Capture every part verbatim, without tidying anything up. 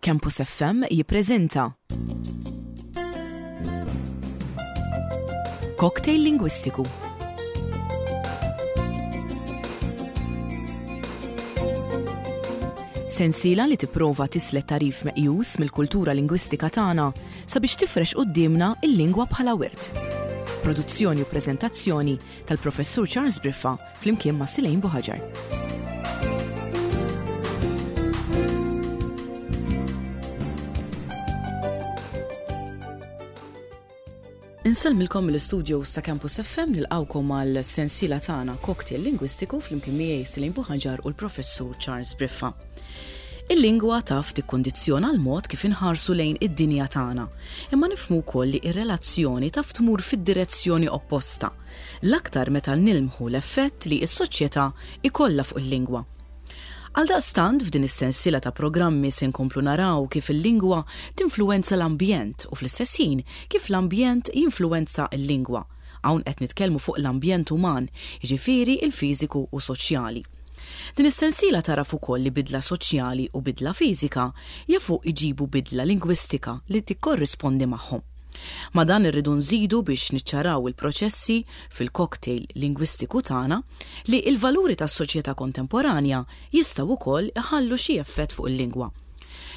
Campus F M jippreżenta Cocktail Lingwistiku. Sensiela li tipprova tislet tagħrif meqjus mill-kultura lingwistika tagħna sabiex tifrex quddiemna il-lingwa bħala wirt. Produzzjoni u preżentazzjoni tal-Professur Charles Briffa flimkien ma' Silejn Buħaġar. Insellmilkom mill-istudio sa' Campus F M, nilqawkom għal sensiela tagħna Cocktail Lingwistiku flimkien miegħi Silejn Buħaġar u l-Professur Charles Briffa. Il-lingwa taf tikkondizzjona l-mod kif inħarsu lejn id-dinja tagħna, imma nifhmu wkoll li r-relazzjoni taf tmur fid-direzzjoni opposta, l-aktar meta nilmħu l-effett li s-soċjetà ikollha fuq il-lingwa. Għaldaqstant, f'din is-sensiela ta' programmi se nkomplu naraw kif il-lingwa tinfluwenza l-ambjent u fl-istess ħin kif l-ambjent jinfluwenza l-lingwa. Hawn qed nitkellmu fuq l-ambjent uman, jiġifieri il-fiżiku u soċjali. Din is-sensiela taraf ukoll li bidla soċjali u bidla fiżika jafu iġibu bidla lingwistika li tikkorrispondi magħhom. Ma dan irridu nżidu, biex niċċaraw il-proċessi fil-cocktail lingwistiku tagħna, li il-valuri tas-soċjetà kontemporanja jistgħu wkoll iħallu xi effett fuq il-lingwa.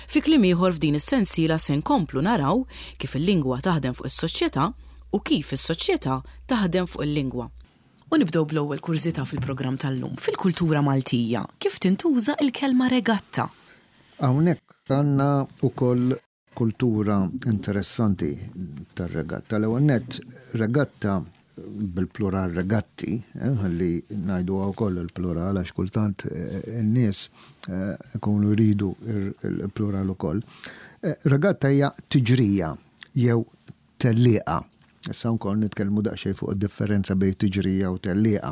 Fi kliem ieħor, f'din is-sensiela se nkomplu naraw kif il-lingwa taħdem fuq is-soċjetà u kif is-soċjetà taħdem fuq il-lingwa. U nibdew bl-ewwel kurżità fil-programm tal-lum. Fil-kultura Maltija, kif tintuża il-kelma regatta? Hawnhekk għandna wkoll kultura interessanti tar-regatta. L-ewwel nett, regatta, bil-plural regatti, eh, li ngħidu wkoll il-plural għax kultant eh, in-nies eh, ikunu jridu il-plural ukoll. Regatta hija tiġrija jew tellieqa. Issa wkoll nitkellmu daqsxejn fuq id-differenza bejn tiġrija u tellieqa.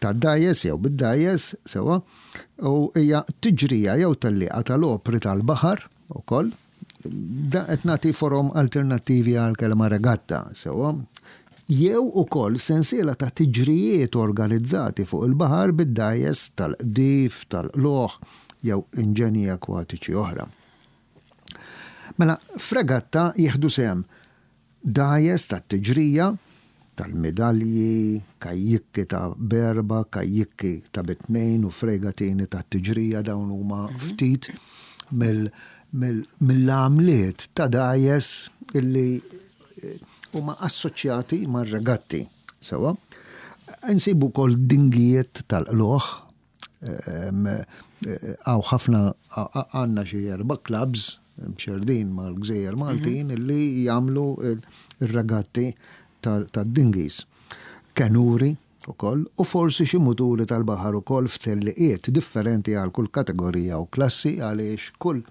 Ta' dgħajjes jew bid-dgħajjes, sewa, u hija tiġrija jew tellieqa tal-opri tal-baħar ukoll. Da qed nagħti forom alternattivi għal kelma regatta, sewa. Jew ukoll sensiela ta' tiġrijiet organizzati fuq il-baħar bid-dgħajjes tal-qdif, tal-qlugħ jew inġenji akwatiċi oħra. Mela, f'regatta jieħdu sehem dgħajjes tat-tiġrija, tal-medalji, kajjikki ta' b'erba', kajjikki ta' bi tnejn u fregatini ta' tiġrija. Dawn huma ftit mill-għamliet ta' dgħajjes illi eh, huma assoċjati mar-regatti. Sewa. Nsibu wkoll dingijiet tal-qlugħ, hawn ħafna, għandna xi erba' clubs mxerdin mal-gżejjer Maltin illi jagħmlu il-regatti tad-dinghies. Kenuri ukoll u forsi xi muturi tal-baħar ukoll f'telliqiet differenti għal kull kategorija u klassi, għaliex kull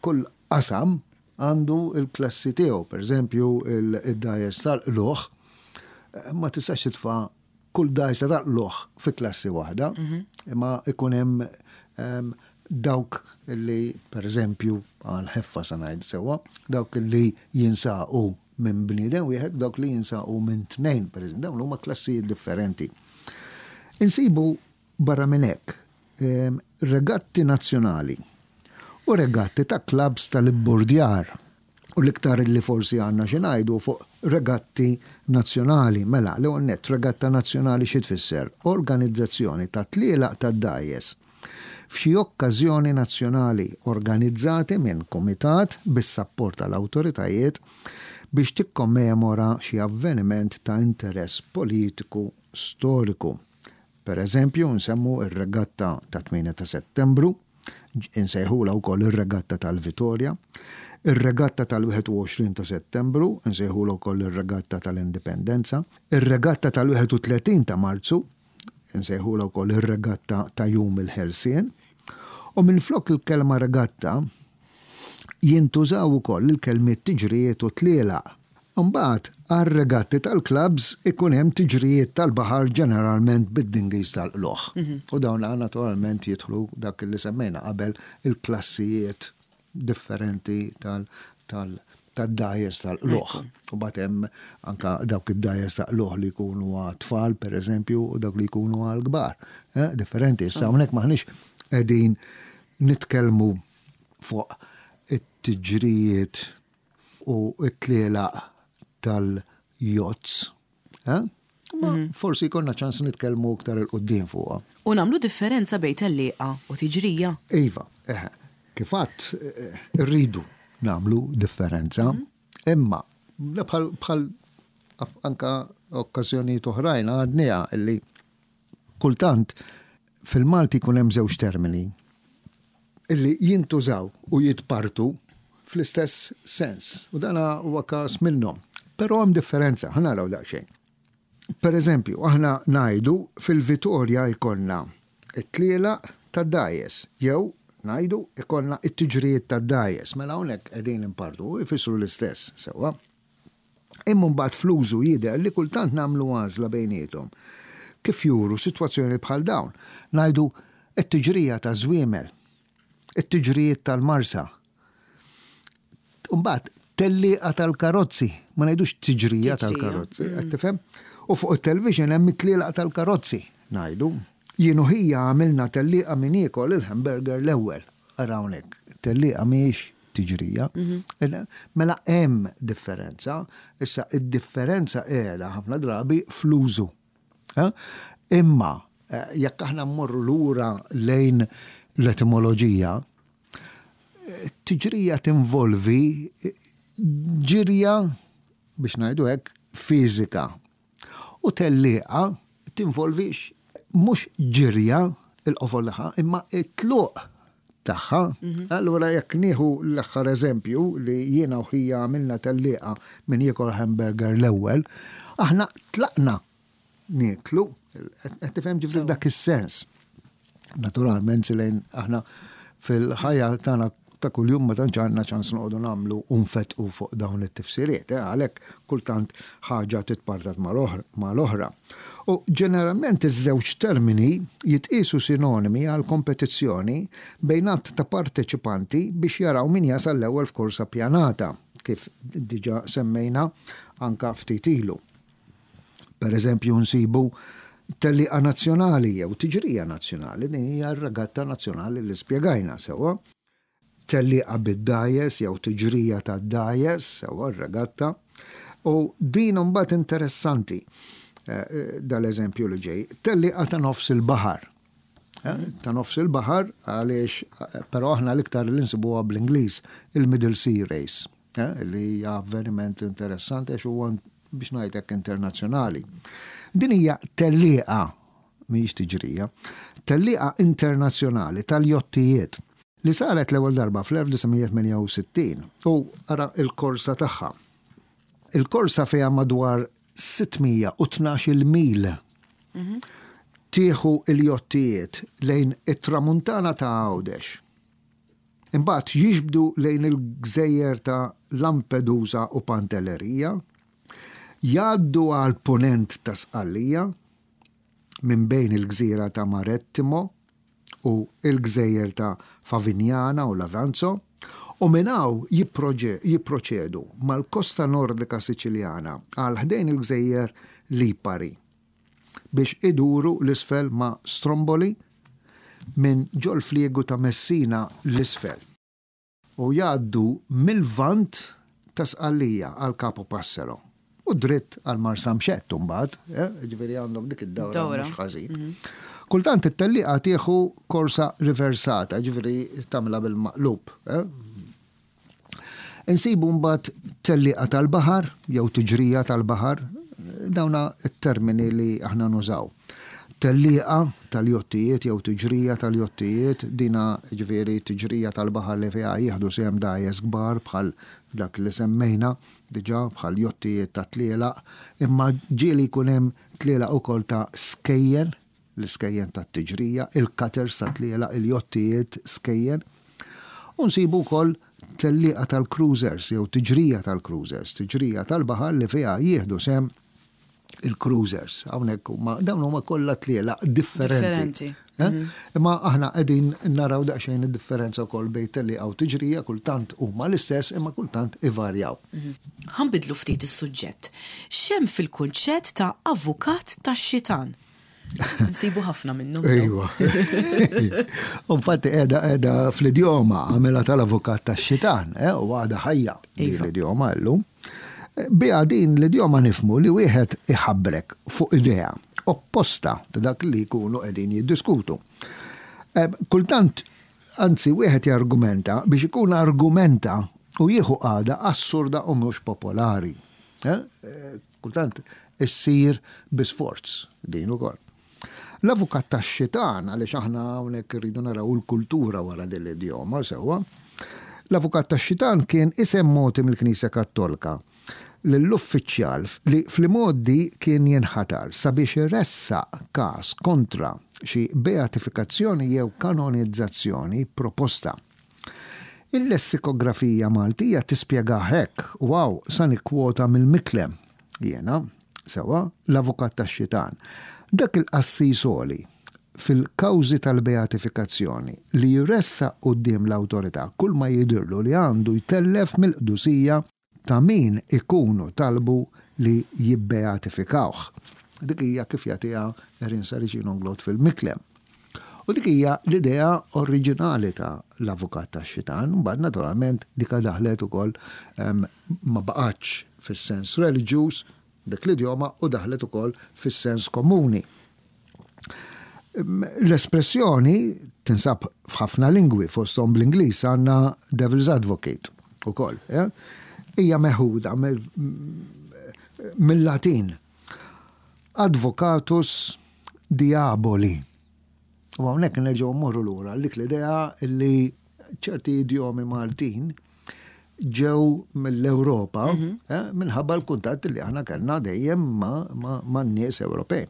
kull qasam għandu il-klassi tiegħu. Per eżempju, il-dgħajjes tal-qlugħ ma tistax titfa' kull dgħajsa tal-qlugħ fi klassi waħda, imma ikun hemm dawk li, per eżempju, għal ħeffa sa ngħid sewwa, dawk li jinsaqu minn bniedem wieħed, dawk li jinsaqu minn tnejn, per eżempju, dawn huma klassijiet differenti. Insibu barra minn hekk regatti nazzjonali u regatti ta' clubs tal-ibburdjar, u l-iktar li forsi għandna xi ngħidu fuq regatti nazzjonali. Mela, l nett, regatta nazzjonali xi tfisser? Organizzazzjoni ta' tlielaq ta' dgħajjes f'xi okkażjoni nazzjonali organizzati minn komitat bis-sapport tal-awtoritajiet biex tikkommemora xi avveniment ta' interess politiku storiku. Per eżempju, nsemmu ir-regatta ta' tmienja ta' Settembru, insejħula wkoll ir-regatta tal-Vitorja, ir-regatta tal-wieħed u għoxrin ta' Settembru, insejħula wkoll ir-regatta tal-Indipendenza, ir-regatta tal-wieħed u tletin ta' Marzu, insejħula wkoll ir-regatta ta' Jum il-Ħelsien, u minflok il-kelma regatta jintużaw ukoll il-kelmiet tiġrijiet u tlielaq. Mbagħad għar-regatti tal-clubs ikun hemm tiġrijiet tal-baħar, ġeneralment bid-dinghies tal-qlugħ. U dawn naturalment jidħlu dak li semmejna qabel, il-klassijiet differenti tal- tal- tad-dgħajjes tal-qlugħ. U mbagħad hemm anka dawk id-dgħajjes tal-qlugħ li jkunu għat-tfal, per eżempju, u dawk li jkunu għal-kbar. Eh, differenti. Issa hawnhekk maħniex qegħdin nitkellmu fuq It-tiġrijiet u t-tlielaq tal-yachts. Eh? Ma mhm. forsi jkollna ċans nitkellmu iktar 'il quddiem fuqha. U nagħmlu differenza bejn tellieqa u tiġrija. Iva, eħe. Kif għedt, eh, rridu nagħmlu differenza, mhm. imma bħal anka okkażjonijiet oħrajn għadniha illi kultant fil-Malti jkun hemm żewġ termini illi jintużaw u jitpartu fl-istess sens. U dana huwa każ minnhom. Però hemm differenza, ħa naraw daqsxejn. Per eżempju, aħna ngħidu fil-Vitorja jkollna it-tlielaq tad-dgħajjes, jew ngħidu ikollna it-tiġrijiet tad-dgħajjes. Mela hawnhekk qegħdin impartu, jfissru l-istess, sewwa. Imma mbagħad fl-użu jidher li kultant nagħmlu għażla bejniethom. Kif juru sitwazzjoni bħal dawn? Ngħidu it-tiġrija ta' żwiemel, it-tiġrijiet tal-Marsa. Mbagħad tellieqa tal-karozzi, ma ngħidux tiġrija tal-karozzi, qed tifhem? U fuq it-television hemm it-tlielaq tal-karozzi, ngħidu. Jien u ħija għamilna tellieqa min jiekol il-hamburger l-ewwel. Ara hawnhekk, tellieqa mhijiex tiġrija. Mhm. Mela hemm differenza, issa id-differenza qiegħda ħafna drabi fl-użu. Imma eh, jekk aħna mmorru lura lejn l-etimoloġija, tiġrija tinvolvi ġirja biex ngħidu hekk fiżika. U tellieqa tinvolvi mhux ġirja il-qofol tagħha imma it-tluq tagħha. Mhm. Allura jekk nieħu l-aħħar eżempju li jiena u ħija għamilna tellieqa min jiekol hamburger l-ewwel, aħna tlaqna nieklu, qed tifhem ġifieri dak is-sens. Naturalment lejn aħna fil-ħajja tagħna ta' kuljum ma tantx għandna ċans noqogħdu nagħmlu u nfetqu fuq dawn it-tifsiriet, eh, għalhekk kultant ħaġa titpartat mal-oħra. U ġeneralment iż-żewġ termini jitqisu sinonimi għal kompetizzjoni bejn għadd ta' parteċipanti biex jaraw min jasal l-ewwel f'korsa pjanata, kif diġà semmejna anka ftit ilu. Per eżempju nsibu tellieqa nazzjonali jew tiġrija nazzjonali, din hija r-regatta nazzjonali li spjegajna sewwa. Tellieqa bid-dgħajjes jew tiġrija tad-dgħajjes, sewwa r-regatta. U din mbagħad interessanti eh, dal-eżempju li ġej. Tellieqa ta' nofs il-baħar. Eh, ta' nofs il-baħar għaliex eh, però aħna l-iktar li nsibuha bl-Ingliż il-Middle Sea Race, li hija avveniment interessanti għax huwa biex ngħidlek internazzjonali. Din hija tellieqa mhijiex tiġrija, tellieqa internazzjonali tal-jottijiet li saret l-ewwel darba fl-elf disa' mija tmienja u sittin u ara il-korsa tagħha. Il-korsa fiha madwar sitt mija u tnax-il mil. Mhm. Tieħu il-jottijiet lejn it-tramuntana ta' Għawdex. Imbagħad jiġbdu lejn il-gżejjer ta' Lampedusa u Pantellerija, jgħaddu għal ponent ta' Sqallija minn bejn il-gżira ta' Marettimo u il-gżejjer ta' Favignana u Lavanzo, u minn hawn jipproġe-, jipproċedu mal-kosta nordika Siċiljana għal ħdejn il-gżejjer Lipari biex iduru l-isfel ma' Stromboli minn ġol-fliegu ta' Messina l-isfel u jgħaddu mill-vant ta' Sqallija għal Capo Passero u dritt għal Marsamxett mbagħad, eh, ġifieri għandhom dik id-dawra Dawra. mhux ħażin. Mhm. Kultant it-tellieqa tieħu korsa riversata, ġifieri tagħmilha bil-maqlub. Eh? Insibu mbagħad tellieqa tal-baħar jew tiġrija tal-baħar, dawna t-termini li aħna nużaw. Tellieqa tal-jottijiet jew tiġrija tal-jottijiet, dina ġifieri tiġrija tal-baħar li fiha jieħdu sehem dgħajjes kbar bħal dak li semmejna diġà bħal jottijiet ta' tlielaq, imma ġieli jkun hemm tlielaq ukoll ta' skejjen, l-iskejjen ta' tiġrija, il-cutters ta' tlielaq, il-jottijiet skejjen. U nsibu wkoll tellieqa tal-cruisers jew tiġrija tal-cruisers, tiġrija tal-baħar li fiha jieħdu sehem il-cruisers. Hawnhekk huma dawn huma kollha tlielaq differenti. Differenti. Eh? Mhm. Imma aħna qegħdin naraw daqsxejn id-differenza wkoll bejn tellieqa u tiġrija, kultant huma l-istess imma kultant ivarjaw. Mhm. Ħanbidlu ftit is-suġġett. X'hemm fil-kunċett ta' avukat tax-xitan? Nsibu ħafna minnhom. Ejwa. Infatti qiegħda qiegħda fl-idjoma għamilha tal-avukat tax-xitan, eh, u għadha ħajja din Iva. l-idjoma llum. Biha din l-idjoma nifhmu li wieħed iħabbrek fuq idea opposta ta' dak li jkunu qegħdin jiddiskutu. Eh, Kultant, anzi, wieħed jargumenta biex ikun argumenta u jieħu qagħda assurda u mhux popolari. Eh, eh, Kultant issir bi sforz din ukoll. L-avukat tax-xitan, għaliex aħna hawnhekk irridu naraw il-kultura wara din l-idjoma sewwa. L-avukat tax-xitan kien isem mogħti mill-Knisja Kattolika lill-uffiċjal li fl-modi kien jinħatar sabiex iressaq każ kontra xi beatifikazzjoni jew kanonizzazzjoni proposta. Il-lessikografija Maltija tispjega hekk, u hawn sa nikkwota mill-Miklem, jiena, sewwa, l-avukat tax-xitan. Dak il-qassis għoli fil-kawżi tal-beatifikazzjoni li jressaq quddiem l-awtorità kull ma jidirlu li għandu jtellef mill-qdusija ta' min ikunu talbu li jibbeatifikawh. Dik hija kif jagħtiha Erin Saracino Inglott fil-Miklem. U dik hija l-idea oriġinali ta' l-avukat tax-xitan, mbagħad naturalment dika daħlet ukoll em, ma baqgħetx fis-sens reliġjuż dik l-idjoma u daħlet ukoll fis-sens komuni. L-espressjoni tinsab f'ħafna lingwi, fosthom bl-Ingliż għandna Devil's Advocate ukoll. Eh? Hija meħuda mill-Latin. Advocatus diaboli. U hawnhekk nerġgħu mmorru lura dik l-idea li ċerti idjomi Maltin ġew mill-Ewropa Mhm. eh, minħabba l-kuntatt li aħna kellna dejjem ma', ma, ma' nies Ewropej.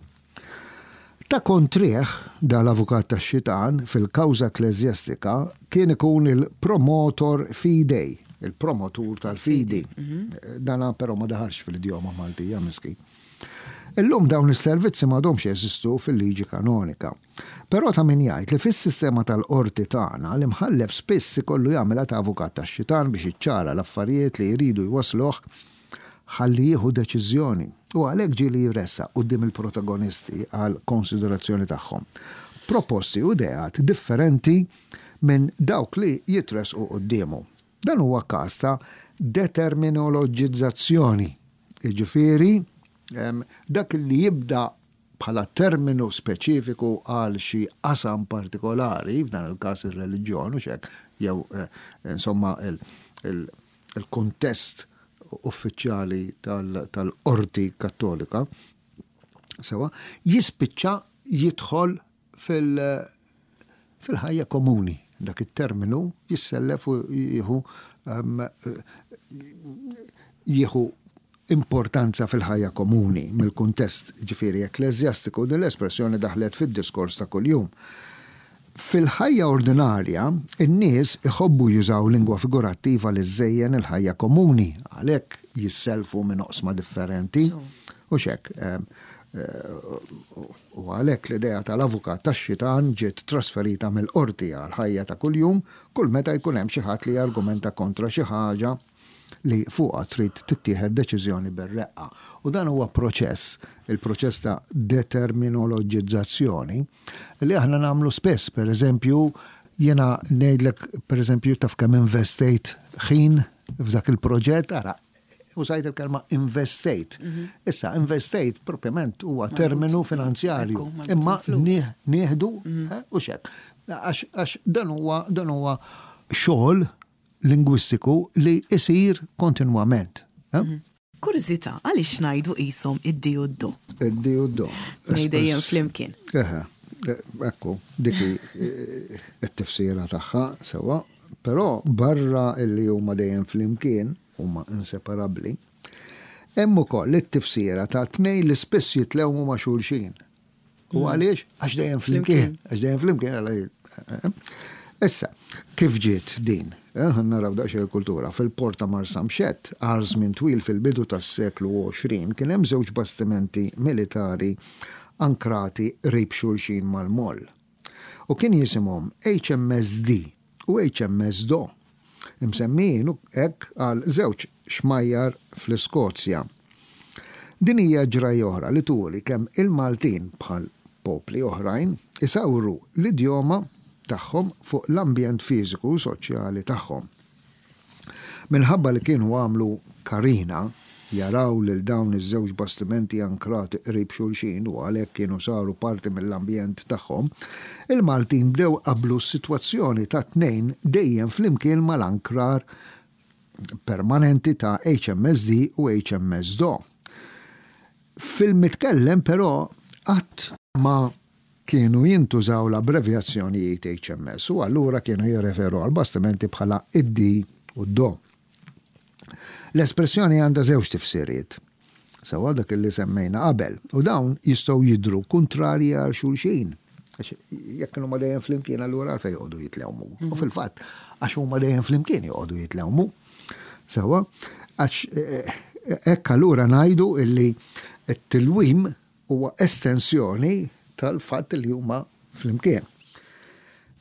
Ta' kontrih dal-avukat tax-xitan fil-kawża ekkleżjastika kien ikun il-promotor fidei, il-promotur tal-fidi. Mhm. Dana però ma daħalx fil-idjoma Maltija miskin. Illum dawn is-servizzi m'għadhomx jeżistu fil-liġi kanonika. Però ta' min jgħid li fis-sistema tal-qorti tagħna l-imħallef spiss ikollu jagħmilha ta' avukat tax-xitan biex iċċara l-affarijiet li jridu jwasluh ħalli jieħu deċiżjoni. U għalhekk ġieli jressaq quddiem il-protagonisti għal konsiderazzjoni tagħhom. Proposti u ideat differenti minn dawk li jitresqu quddiemu. Dan huwa każ ta' determinoloġizzazzjoni. Jiġifieri, em, dak li jibda bħala terminu speċifiku għal xi qasam partikolari, f'dan il-każ ir-reliġjon u xek, jew eh, insomma il- il- il-kontest uffiċjali tal- tal-qorti kattolika, sewwa, jispiċċa jidħol fil- fil-ħajja komuni. Dak it-terminu jissellef u jieħu em, jieħu importanza fil-ħajja komuni mill-kuntest ġifieri ekkleżjastiku din l-espressjoni daħlet fid-diskors ta' kuljum. Fil-ħajja ordinarja, in-nies iħobbu jużaw lingwa figurattiva li żżejjen il-ħajja komuni, għalhekk jisselfu minn oqsma differenti. So. U xek, em, eh, u għalhekk l-idea tal-avukat tax-xitan ġiet trasferita mill-qorti għal ħajja ta' kuljum kull meta jkun hemm xi ħadd li jargumenta kontra xi ħaġa li fuqha trid tittieħed deċiżjoni bir-reqqa. U dan huwa proċess, il-proċess ta' determinoloġizzazzjoni li aħna nagħmlu spess, per eżempju, jiena ngħidlek per eżempju taf kemm investejt ħin f'dak il-proġett, ara, użajt il-kelma investejt. Mhm. Issa, investejt propjament huwa terminu finanzjarju. Ekku, marbut Imma mal-flus. nie- nieħdu Mhm. eh, u xek. Għax għax dan huwa dan huwa xogħol lingwistiku li isir kontinwament. eh? Mhm. Kurżità, għaliex ngħidu qishom id-di u d-do? Id-di u d-do. Dejjem flimkien. Eħe, eh, ekku, dik hi, eh, it-tifsira tagħha sewwa, però barra illi huma dejjem flimkien, huma inseparabbli, hemm ukoll it-tifsira ta' tnejn li spiss jitlewmu ma' xulxin. U Mm. għaliex? Għax dejjem flimkien. Għax dejjem flimkien, għala eh, eh. Issa, kif ġiet din? Eh, ħa naraw daqsxejn il-kultura. Fil-port ta' Marsamxett, għal żmien twil fil-bidu tas-seklu għoxrin, kien hemm żewġ bastimenti militari ankrati qrib xulxin mal-moll. U kien jisimhom H M S D u H M S Do, imsemmijin hekk għal żewġ xmajjar fl-Iskozja. Din hija ġrajja oħra li turi kemm il-Maltin bħal popli oħrajn isawru l-idjoma tagħhom fuq l-ambjent fiżiku u soċjali tagħhom. Minħabba li kienu għamlu karina jaraw lil dawn iż-żewġ bastimenti ankrati qrib xulxin u għalhekk kienu saru parti mill-ambjent tagħhom, il-Maltin bdew qablu s-sitwazzjoni ta' tnejn dejjem flimkien mal-ankrar permanenti ta' H M S D u H M S Do. Fil-mitkellem però qatt ma kienu jintużaw l-abbrevjazzjonijiet H M S u allura kienu jirreferu għal bastimenti bħala id-D u d-Do. L-espressjoni għandha żewġ tifsiriet. Sewwa, dak li semmejna qabel. U dawn jistgħu jidru kontrarji għal xulxin. Għax jekk huma dejjem flimkien, allura għalfejn joqogħdu jitlewmu? U fil-fatt għax huma dejjem flimkien joqogħdu jitlewmu. Sewwa, għax eh, hekk allura ngħidu illi t-tilwim huwa estensjoni tal-fatt li huma flimkien.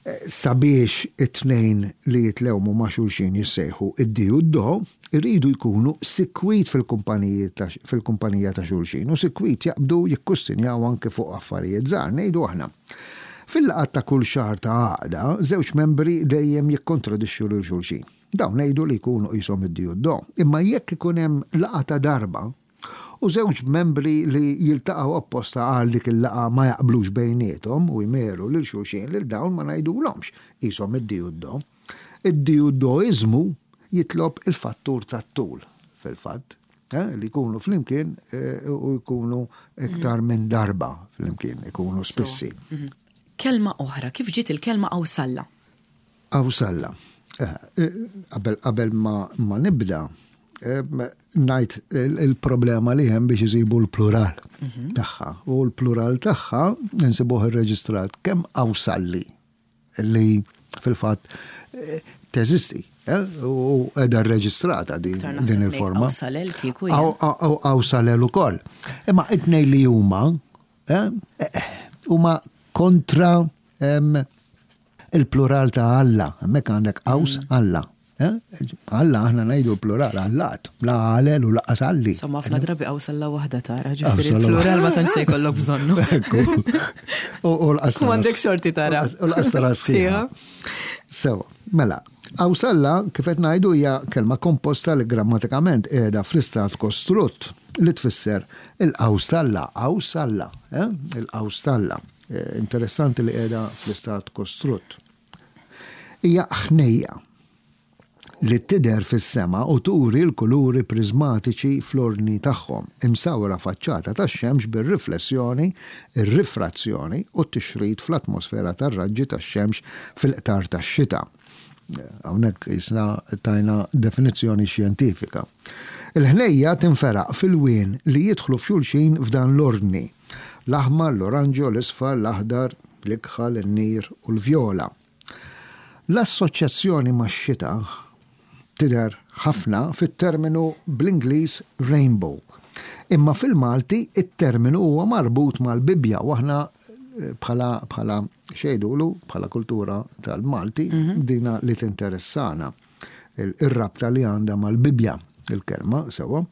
Eh, Sabiex it-tnejn li jitlewmu ma' xulxin jissejħu id-D u d-Do, irridu jkunu sikwit fil-kumpaniji ta' fil-kumpanija ta' xulxin u sikwit jaqbdu jikkustinjaw anke fuq affarijiet żgħar, ngħidu aħna. Fil-laqgħat ta' kull xahar ta' għaqda, żewġ membri dejjem jikkontradixxu lil xulxin. Dawn ngħidu li jkunu qishom id-D u d-Do. Imma jekk ikun hemm laqgħa ta' darba u żewġ membri li jiltaqgħu apposta għal dik il-laqgħa ma jaqblux bejniethom u jmeru lil xulxin, lil dawn ma ngħidulhomx qishom id-D u d-Do. Id-D u d-Doiżmu jitlob il-fattur tat-tul fil-fatt, eh, li jkunu flimkien eh, u jkunu iktar minn darba flimkien, ikunu spissi. Kelma oħra, kif ġiet il-kelma qawsalla? Qawsalla. Eh, eh, Qabel qabel ma, ma nibda, eh, ngħid il- il-problema li hemm biex isibu l-plural tagħha. U l-plural tagħha nsibuh irreġistrat kemm qawsalli li fil-fatt eh, teżisti eh, u qiegħda rreġistrata din, Iktar naħseb din ngħid il-forma. qawsalel kieku Aw- jien. aw- aw- Qawsalel ukoll. Imma it-tnejn li huma eh, eh, huma kontra em, il-plural ta' Alla. Hemmhekk għandek qaws Alla. Eh? Alla aħna ngħidu l-plural allat, la għalel u lanqas alli. Insomma, ħafna drabi qawsalla waħda tara, ġifieri Qawsalla il-plural ma tantx se jkollok bżonnu. Ekku. U u l-qas U għandek xorti tara. U l-qas tara sħiħa. Sewwa, mela, qawsalla, kif qed ngħidu, hija kelma komposta li grammatikament qiegħda fl-istat kostrutt li tfisser il-qaws t'Alla, qawsalla, eh? Il-qaws t'Alla. Eh, Interessanti li qiegħda fl-istat kostrutt. Hija ħnejja li tidher fis-sema u turi l-kuluri prismatiċi fl-ordni tagħhom, imsawra faċċata tax-xemx bir-riflessjoni, ir-rifrazzjoni u t-tixrid fl-atmosfera tar-raġġi tax-xemx fil-qtar tax-xita. Hawnhekk jisna tajna definizzjoni xjentifika. Il-ħnejja tinferaq f'ilwien li jidħlu f'xulxin f'dan l-ordni: l-aħmar, l-oranġo, l-isfar, l-aħdar, l-ikħal, in-nir u l-vjola. L-assoċjazzjoni max-xita tidher ħafna fit-terminu bl-Ingliż rainbow. Imma fil-Malti it-terminu huwa marbut mal-Bibja u aħna eh, bħala bħala xejdulu, bħala kultura tal-Malti, dina li tinteressana il- ir-rabta li għandha mal-Bibja il-kelma, sewwa.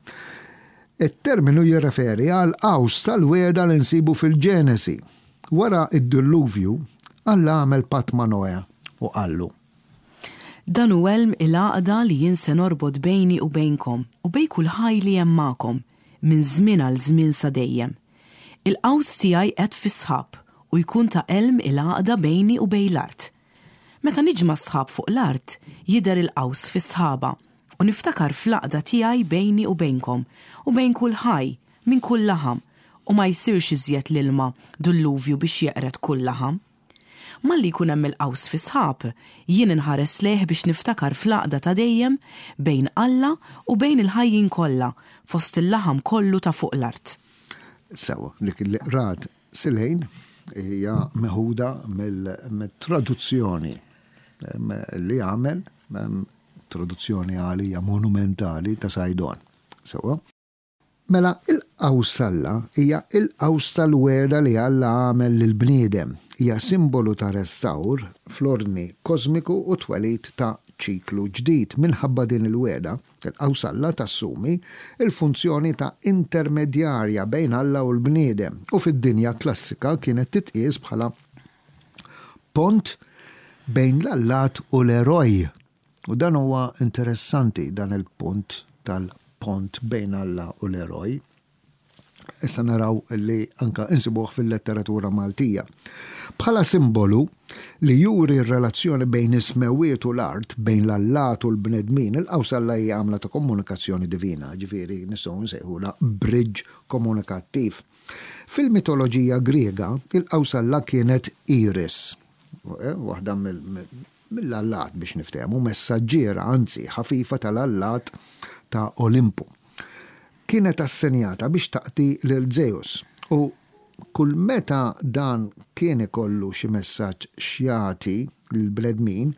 Il-terminu jirreferi għal qaws tal-wegħda li nsibu fil-Ġenesi. Wara id-dilluvju, Alla għamel patt ma' Noe u qallu: "Dan hu għelm il-għaqda li jien se norbot bejni u bejnkom u bejn kull ħaj li hemm magħkom minn żmien għal żmien sa dejjem. Il-qaws tiegħi qed fis-sħab u jkun ta' għelm il-għaqda bejni u bejn l-art. Meta niġma' sħab fuq l-art, jidher il-qaws fis-sħaba u niftakar fl-għaqda tiegħi bejni u bejnkom u bejn kull ħaj minn kull laħam u ma jsirx iżjed l-ilma dulluvju biex jeqred kull laħam. Malli jkun hemm il-qaws fi sħab, jien inħares lejh biex niftakar fl-għaqda ta' dejjem bejn Alla u bejn il-ħajjin kollha fost il-laħam kollu ta' fuq l-art." Sewwa, dik li qrat Silejn hija meħuda mill-traduzzjoni em, li għamel, em, traduzzjoni għalija monumentali ta' Saydon. Sewwa. Mela, il-qawsalla hija il-qaws tal-wegħda li Alla għamel lill-bniedem. Hija simbolu ta' restawr fl-ordni kosmiku u twelid ta' ċiklu ġdid. Minħabba din il-wegħda, il-qawsalla tassumi il-funzjoni ta' intermedjarja bejn Alla u l-bniedem u fid-dinja klassika kienet titqies bħala pont bejn l-allat u l-eroj. U dan huwa interessanti, dan il-punt tal-pont bejn Alla u l-eroj. Issa naraw li anka insibuh fil-letteratura Maltija. Bħala simbolu li juri r-relazzjoni bejn is-smewwiet u l-art, bejn l-allat u l-bnedmin, il-qawsalla hija għamla ta' komunikazzjoni divina, ġifieri nistgħu nsejħula bridge komunikattiv. Fil-mitoloġija Griega, il-qawsalla kienet Iris, eh, waħda mill-allat biex niftehmu, messaġġiera, anzi ħafifa tal-allat ta' Olimpu. Kienet assenjata biex taqti lil Zeus u kull meta dan kien ikollu xi messaġġ x'jagħti lill-bnedmin,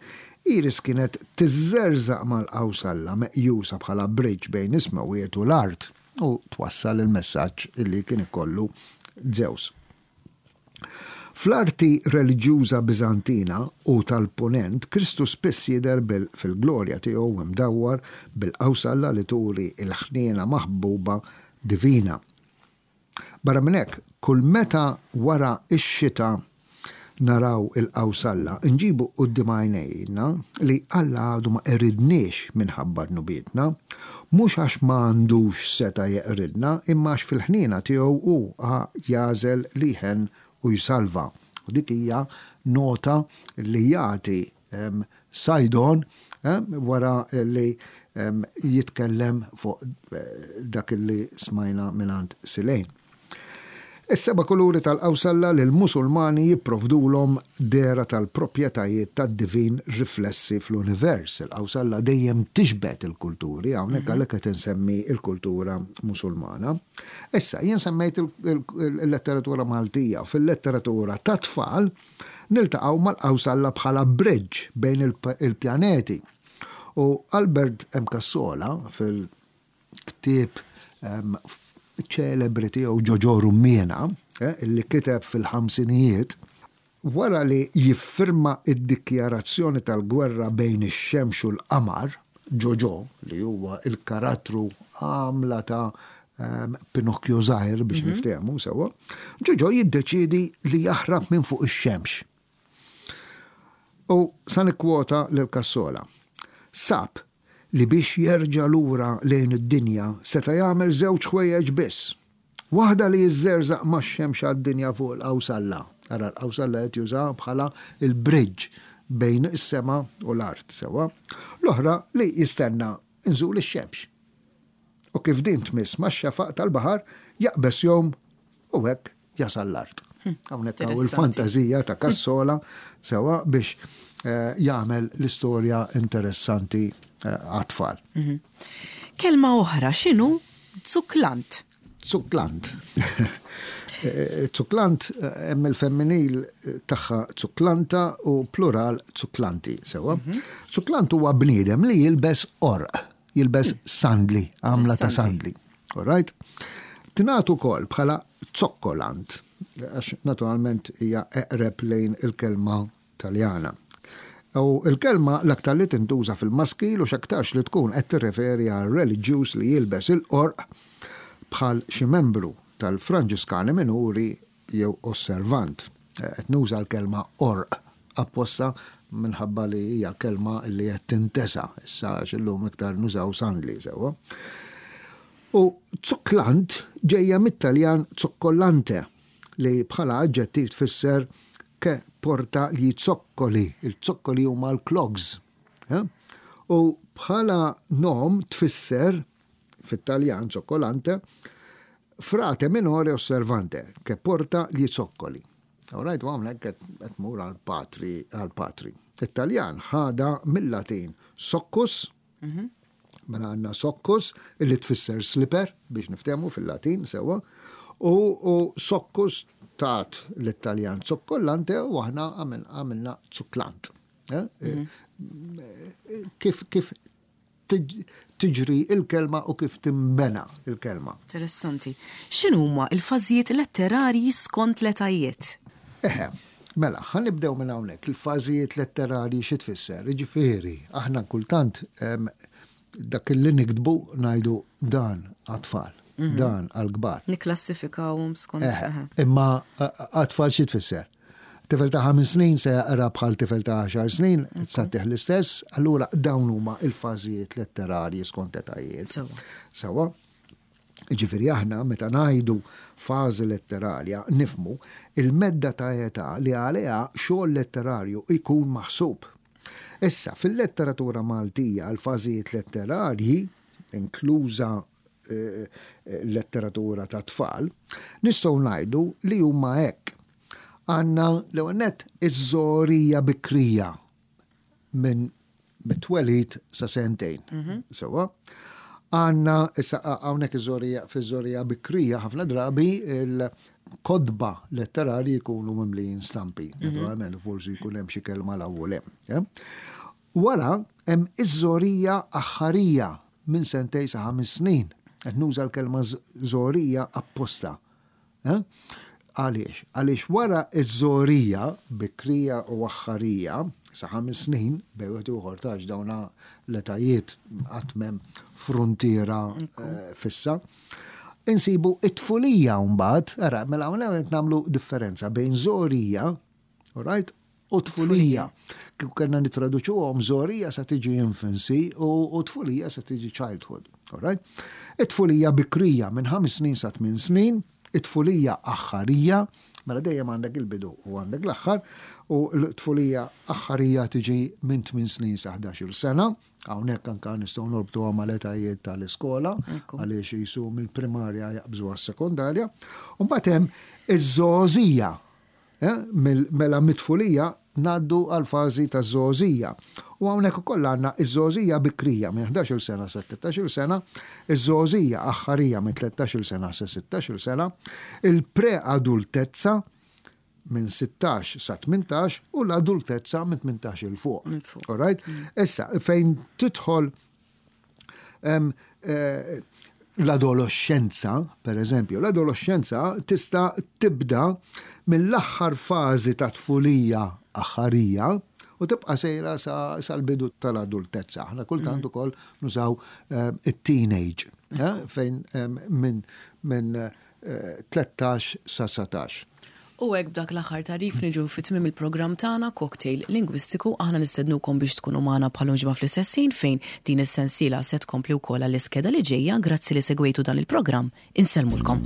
Iris kienet tiżżerżaq mal-qawsalla meqjusa bħala bridge bejn is-smewwiet u l-art u twassal il-messaġġ illi kien ikollu Zeus. Fl-arti reliġjuża Biżantina u tal-Punent, Kristu spiss jidher fil-glorja tiegħu imdawwar bil-qawsalla li turi il-ħniena maħbuba divina. Barra minn hekk, kull meta wara x-xita naraw il-qawsalla, nġibu quddiem għajnejna li Alla għadu ma qeridniex minħabba dnubietna, mhux għax ma għandux seta jeqridna, imma għax fil-ħniena tiegħu hu jagħżel li jħenn u jsalva. U dik hija nota li jagħti Saydon wara li jitkellem fuq eh, dak li smajna mingħand Silejn. Is-seba' kuluri tal-qawsalla li l-Musulmani jipprovdulhom dehra tal-proprjetajiet tad-divin riflessi fl-univers. Il-qawsalla dejjem tixbet il-kulturi, hawnhekk għalhekk qed insemmi il-kultura Musulmana. Issa, jien semmejt il-letteratura Maltija. Fil-letteratura ta' tfal niltaqgħu mal-qawsalla bħala bridge bejn il-pjaneti. U Albert M. Cassola fil-ktieb ċelebri tiegħu Ġoġo Rummiena, eh, illi kiteb fil-ħamsinijiet, wara li jiffirma id-dikjarazzjoni tal-gwerra bejn ix-xemx u l-qamar, Ġoġo, li huwa il-karattru għamla ta' um, Pinocchio żgħir biex mm -hmm. niftehmu sewwa, Ġoġo jiddeċidi li jaħrab minn fuq ix-xemx. U sa nikkwota lil Cassola. Sab li biex jerġa' lura lejn id-dinja seta' jagħmel żewġ ħwejjeġ biss. Waħda li jiżżerżaq max-xemx għad-dinja fuq il-qawsalla. Ara l-qawsalla qed juża bħala il-bridge bejn is-sema u l-art sewwa. L-oħra li jistenna nżul ix-xemx. U kif din tmiss max-xefaq tal-baħar jaqbeż jom u hekk jasal l-art. Hmm, Hawnhekk hawn il-fantażija ta' Cassola sewwa biex eh, jagħmel l-istorja interessanti eh, għat-tfal. Mhm. Kelma oħra x'inhu zuklant? Zuklant. Eh, zuklant hemm il-femminil tagħha zuklanta u plural zuklanti, sewwa. Mhm. Zuklant huwa bniedem li jilbes qorq, jilbes hmm. sandli, għamla ta' sandli. All right? Tingħad ukoll bħala zokkolant, għax naturalment hija eqreb lejn il-kelma Taljana. U il-kelma l-aktar li tintuża fil-maskil u x'aktarx li tkun qed tirreferi għal reliġjuż li jilbes il-qorq bħal xi membru tal-Franġiskani Minuri jew osservant. Qed nuża l-kelma qorq apposta minħabba li hija kelma li qed tintesa issa għax illum iktar nużaw sandli sewwa. U zuklant ġejja mit-Taljan zoccolante li bħala aġġettiv tfisser che porta gli zoccoli. Il-zoccoli huma l-clogs. Eh? U bħala nom tfisser fit-Taljan zoccolante frate minore osservante che porta gli zoccoli. All right, u hawnhekk qed mur għal-patri għal-patri. It-Taljan ħada mill-Latin soccus, mhm. mela għandna soccus illi tfisser slipper biex niftehmu fil-Latin sewwa, u, u soccus tat l-Italjan zoccolante u aħna għamilna zuklant. Eh? Mhm. Kif, kif tiġri il-kelma u kif timbena il-kelma. Interessanti. X'inhuma il-fażijiet letterarji skont l-etajiet? Eħe, Mela, ħa nibdew minn hawnhekk. Il-fażijiet letterarji xi tfisser? Jiġifieri, aħna kultant em, dak li niktbu ngħidu dan għat-tfal, dan għal-kbar. Niklassifikawhom skont. Eh, eħe. Imma għat-tfal xi tfisser? Tifel ta' ħames snin se jaqra bħal tifel ta' għaxar snin, ssantih l-istess, allura dawn huma il-fażijiet letterarji skont etajiet. Sewa. Sewa. Ġifieri aħna meta ngħidu fażi letterarja nifhmu il-medda ta' età li għaliha xogħol letterarju jkun maħsub. Issa, fil-letteratura Maltija l-fażijiet letterarji, inkluża eh, eh, letteratura ta' tfal, nistgħu ngħidu li huma hekk. Għandna l-ewwel nett iż-żgħorija bikrija minn mit-twelid sa sentejn. Sewa. Għandna, issa hawnhekk iż-żgħorija, fiż-żgħorija bikrija ħafna drabi il-kotba letterarji jkunu mimlijin stampi. Naturalment, forsi jkun hemm xi kelma l-ewwel hemm. eh? Wara hemm iż-żgħorija aħħarija minn sentejn sa ħames snin. Qed nuża l-kelma żgħorija apposta. Eh? Għaliex? Għaliex wara iż-żgħorija bikrija u aħħarija sa ħames snin, bejn wieħed u ieħor tax dawna l-etajiet qatt m'hemm fruntiera eh, fissa. Insibu it-tfulija mbagħad, ara, mela hawnhekk qed nagħmlu differenza bejn żgħorija, all right, u tfulija. Kif kellna nitraduċuhom, żgħorija sa tiġi infancy u, u tfulija sa tiġi childhood. All right? It-tfulija bikrija minn ħames snin sa tmien snin, it-tfulija aħħarija, mela dejjem għandek il-bidu u għandek l-aħħar, u l-tfulija aħħarija tiġi minn tmien snin sa ħdax-il sena, hawnhekk anka nistgħu norbtuha mal-etajiet tal-iskola, Ekku. għaliex jisu mill-primarja jaqbżu għas-sekondarja. U mbagħad hemm iż-żgħożija. Eh, mil- Mela mit-tfulija ngħaddu għal fażi ta' żgħożija. U hawnhekk ukoll għandna iż-żgħożija bikrija minn ħdax-il sena sa tlettax-il sena, iż-żgħożija aħħarija minn tlettax-il sena sa sittax-il sena, il-preadultezza minn sittax sa tmintax u l-adultezza minn tmintax 'il fuq. Minn fuq. All right? Issa, fejn tidħol em, eh, l-adolescenza, per eżempju, l-adolescenza tista' tibda mill-aħħar fażi ta' tfulija aħħarija u tibqa' sejra sa- sal-bidu tal-adultezza. Aħna kultant ukoll nużaw eh, it-teenage, eh, fejn em, minn min, eh, tlettax sa dsatax. U hekk b'dak l-aħħar tagħrif niġu fi tmiem il-programm tagħna Cocktail Lingwistiku. Aħna nistednukom biex tkunu magħna bħal ġimgħa fl-istess ħin fejn din is-sensiela se tkompli wkoll għall-iskeda li ġejja. Grazzi li segwejtu dan il-programm. Insellmulkom.